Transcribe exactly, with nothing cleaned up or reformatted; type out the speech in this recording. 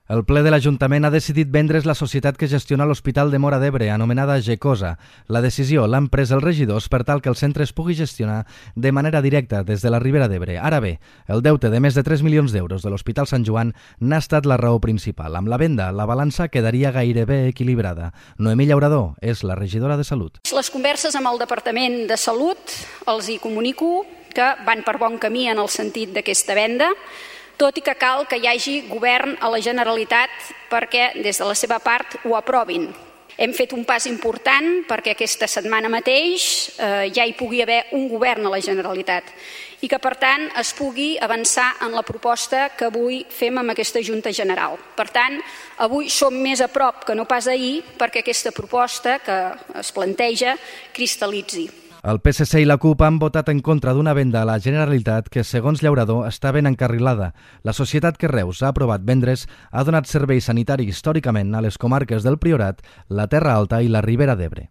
El ple de l'Ajuntament ha decidit vendre's la societat que gestiona l'Hospital de Móra d'Ebre, anomenada Gecosa. La decisió l'han pres els regidors per tal que el centre es pugui gestionar de manera directa des de la Ribera d'Ebre. Ara bé, el deute de més de tres milions d'euros de l'Hospital Sant Joan n'ha estat la raó principal. Amb la venda, la balança quedaria gairebé equilibrada. Noemí Llaurador és la regidora de Salut. Les converses amb el Departament de Salut els hi comunico que van per bon camí en el sentit d'aquesta venda, tot i que cal que hi hagi govern a la Generalitat perquè des de la seva part ho aprovin. Hem fet un pas important perquè aquesta setmana mateix eh, ja hi pugui haver un govern a la Generalitat i que, per tant, es pugui avançar en la proposta que avui fem amb aquesta Junta General. Per tant, avui som més a prop que no pas ahir perquè aquesta proposta que es planteja cristal·litzi. El P S C i la CUP han votat en contra d'una venda a la Generalitat que, segons Llaurador, està ben encarrilada. La societat que Reus ha aprovat vendre's ha donat servei sanitari històricament a les comarques del Priorat, la Terra Alta i la Ribera d'Ebre.